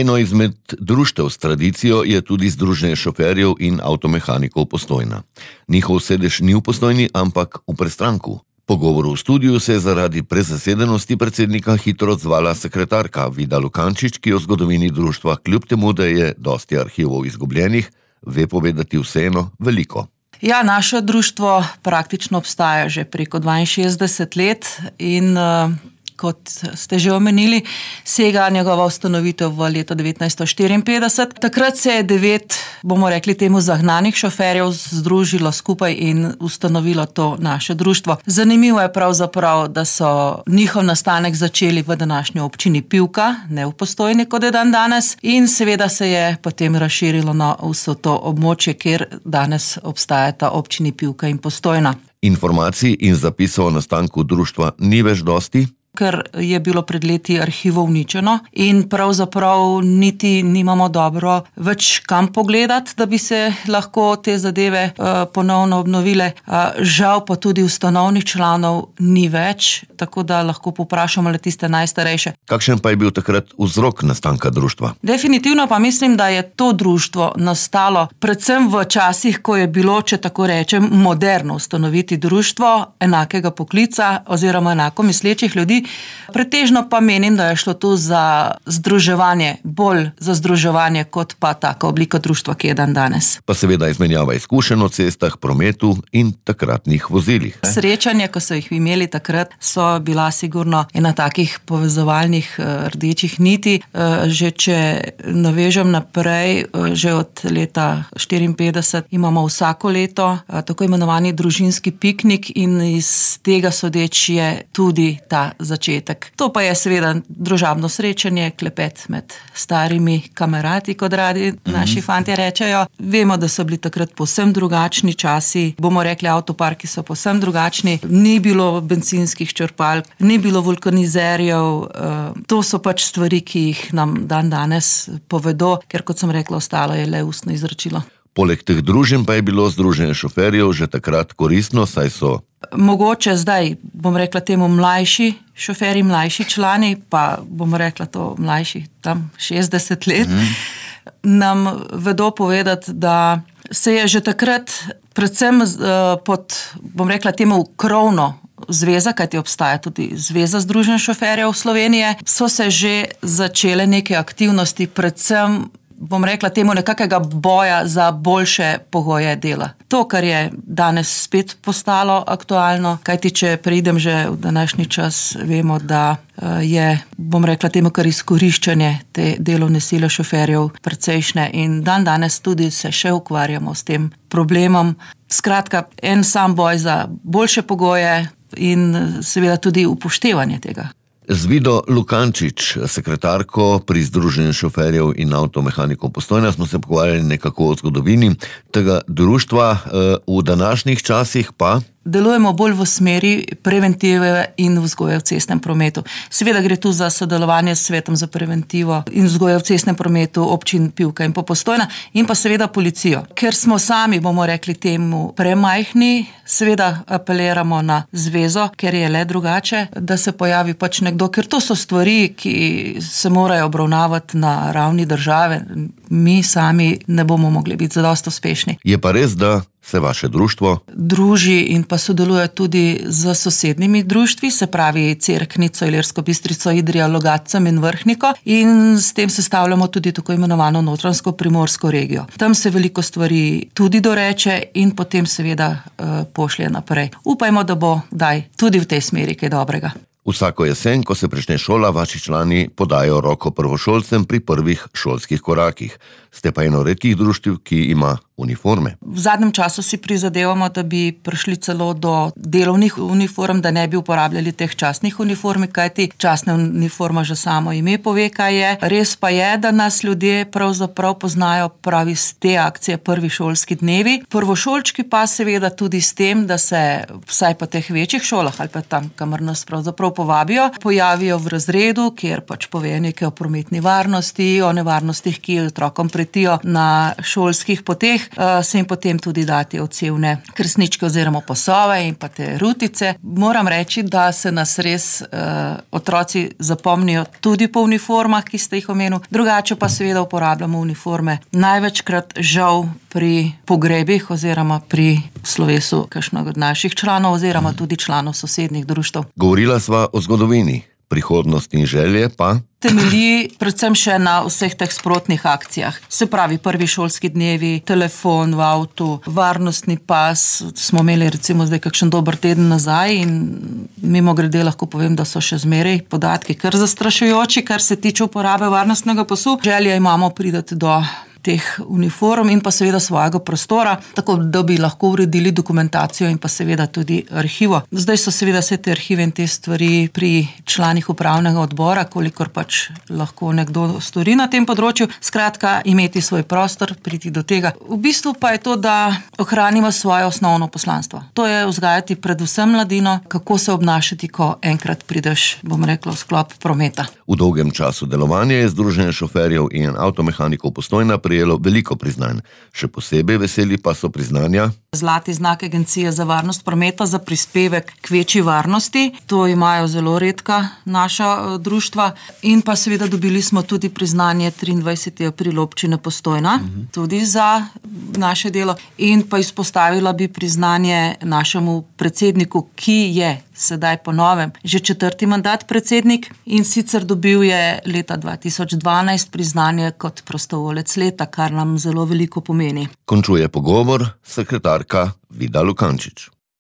Eno izmed društev s tradicijo je tudi Združenje šoferjev in avtomehanikov Postojna. Njihov sedež ni v Postojni, ampak v Prestranku. Po govoru v studiu se je zaradi prezasedenosti predsednika hitro odzvala sekretarka Vida Lukančič, ki o zgodovini društva, kljub temu, da je dosti arhivov izgubljenih, ve povedati vseeno veliko. Ja, naše društvo praktično obstaja že preko 62 let in kot ste že omenili, sega njegova ustanovitev v leto 1954. Takrat se je 9, bomo rekli temu, zagnanih šoferjev združilo skupaj in ustanovilo to naše društvo. Zanimivo je pravzaprav, da so njihov nastanek začeli v današnji občini Pivka, ne v Postojni, kot je danes, in seveda se je potem razširilo na vso to območje, kjer danes obstajata občini Pivka in Postojna. Informacij in zapisov o nastanku društva ni več dosti, ker je bilo pred leti arhivov uničeno in pravzaprav niti nimamo dobro več kam pogledati, da bi se lahko te zadeve ponovno obnovile. Žal pa tudi ustanovnih članov ni več, tako da lahko povprašamo le tiste najstarejše. Kakšen pa je bil takrat vzrok nastanka društva? Definitivno pa mislim, da je to društvo nastalo predvsem v časih, ko je bilo, če tako rečem, moderno ustanoviti društvo enakega poklica oziroma enako mislečih ljudi. Pretežno pa menim, da je šlo tu za združevanje, bolj za združevanje kot pa taka oblika društva, ki je danes. Pa seveda izmenjava izkušenj o cestah, prometu in takratnih vozilih. Srečanja, ko so jih imeli takrat, so bila sigurno ena takih povezovalnih rdečih niti. Že če navežem naprej, že od leta 1954 imamo vsako leto tako imenovani družinski piknik in iz tega sodeč je tudi ta začetek. To pa je seveda družabno srečanje, klepet med starimi kamerati, kot radi naši fantje rečejo. Vemo, da so bili takrat povsem drugačni časi, bomo rekli, avtoparki so povsem drugačni, ni bilo bencinskih črpalk, ni bilo vulkanizerjev, to so pač stvari, ki jih nam danes povedo, ker kot sem rekla, ostalo je le ustno izročilo. Poleg teh druženj pa je bilo Združenje šoferjev že takrat koristno, saj so mogoče zdaj, bom rekla temu, mlajši šoferji, mlajši člani, pa bom rekla to mlajši, tam 60 let, nam vedo povedati, da se je že takrat predvsem pod, bom rekla temu, krovno zveza, kajti obstaja tudi Zveza združenj šoferjev Slovenije, so se že začele neke aktivnosti, predvsem bom rekla temu nekakega boja za boljše pogoje dela. To, kar je danes spet postalo aktualno, kajti če preidem že v današnji čas, vemo, da je, bom rekla temu, kar izkoriščanje te delovne sile šoferjev precejšnje in danes tudi se še ukvarjamo s tem problemom. Skratka, en sam boj za boljše pogoje in seveda tudi upoštevanje tega. Z Vido Lukančič, sekretarko pri Združenju šoferjev in avtomehanikov Postojna, smo se pogovarjali nekako o zgodovini tega društva. V današnjih časih pa delujemo bolj v smeri preventive in vzgoje v cestnem prometu. Seveda gre tu za sodelovanje s Svetom za preventivo in vzgoje v cestnem prometu občin Pivka in Postojna in pa seveda policijo. Ker smo sami, bomo rekli temu, premajhni, seveda apeliramo na zvezo, ker je le drugače, da se pojavi pač nekdo, ker to so stvari, ki se morajo obravnavati na ravni države. Mi sami ne bomo mogli biti zadosti uspešni. Je pa res, da se vaše društvo druži in pa sodeluje tudi z sosednjimi društvi, se pravi Cerknico, Ilirsko Bistrico, Idrija, Logatcem in Vrhniko, in s tem sestavljamo tudi tako imenovano Notranjsko-Primorsko regijo. Tam se veliko stvari tudi doreče in potem seveda pošlje naprej. Upajmo, da bo daj tudi v tej smeri kaj dobrega. Vsako jesen, ko se prične šola, vaši člani podajo roko prvošolcem pri prvih šolskih korakih. Ste pa eno redkih društev, ki ima uniforme. V zadnjem času si prizadevamo, da bi prišli celo do delovnih uniform, da ne bi uporabljali teh častnih uniform, kajti častna uniforma že samo ime pove, kaj je. Res pa je, da nas ljudje pravzaprav poznajo pravi z te akcije prvi šolski dnevi. Prvošolčki pa seveda tudi s tem, da se vsaj po teh večjih šolah ali pa tam, kamor nas pravzaprav povabijo, pojavijo v razredu, kjer pač pove nekaj o prometni varnosti, o nevarnostih, ki otrokom pretijo na šolskih poteh, se jim potem tudi dati odsevne krsničke oziroma posove in pa te rutice. Moram reči, da se nas res otroci zapomnijo tudi po uniformah, ki ste jih omenil, drugače pa seveda uporabljamo uniforme največkrat žal pri pogrebih oziroma pri slovesu kakšnega od naših članov oziroma tudi članov sosednjih društev. Govorila sva o zgodovini, prihodnost in želje pa temelji predvsem še na vseh teh sprotnih akcijah. Se pravi, prvi šolski dnevi, telefon v avtu, varnostni pas, smo imeli recimo zdaj kakšen dober teden nazaj in mimogrede lahko povem, da so še zmeraj podatki kar zastrašujoči, kar se tiče uporabe varnostnega pasu. Želja imamo priti do teh uniform in pa seveda svojega prostora, tako da bi lahko uredili dokumentacijo in pa seveda tudi arhivo. Zdaj so seveda vse te arhive in te stvari pri članih upravnega odbora, kolikor pač lahko nekdo stori na tem področju. Skratka, imeti svoj prostor, priti do tega. V bistvu pa je to, da ohranimo svoje osnovno poslanstvo. To je vzgajati predvsem mladino, kako se obnašati, ko enkrat prideš, bom rekla, v sklop prometa. V dolgem času delovanja je Združenje šoferjev in avtomehanikov Postojna prejelo veliko priznanj. Še posebej veseli pa so priznanja Zlati znak Agencije za varnost prometa za prispevek k večji varnosti. To imajo zelo redka naša društva. In pa seveda dobili smo tudi priznanje 23. april občine Postojna, tudi za naše delo. In pa izpostavila bi priznanje našemu predsedniku, ki je sedaj po novem že 4. mandat predsednik in sicer dobil je leta 2012 priznanje kot prostovoljec leta, kar nam zelo veliko pomeni. Končuje pogovor sekretarka Vida Lukančič.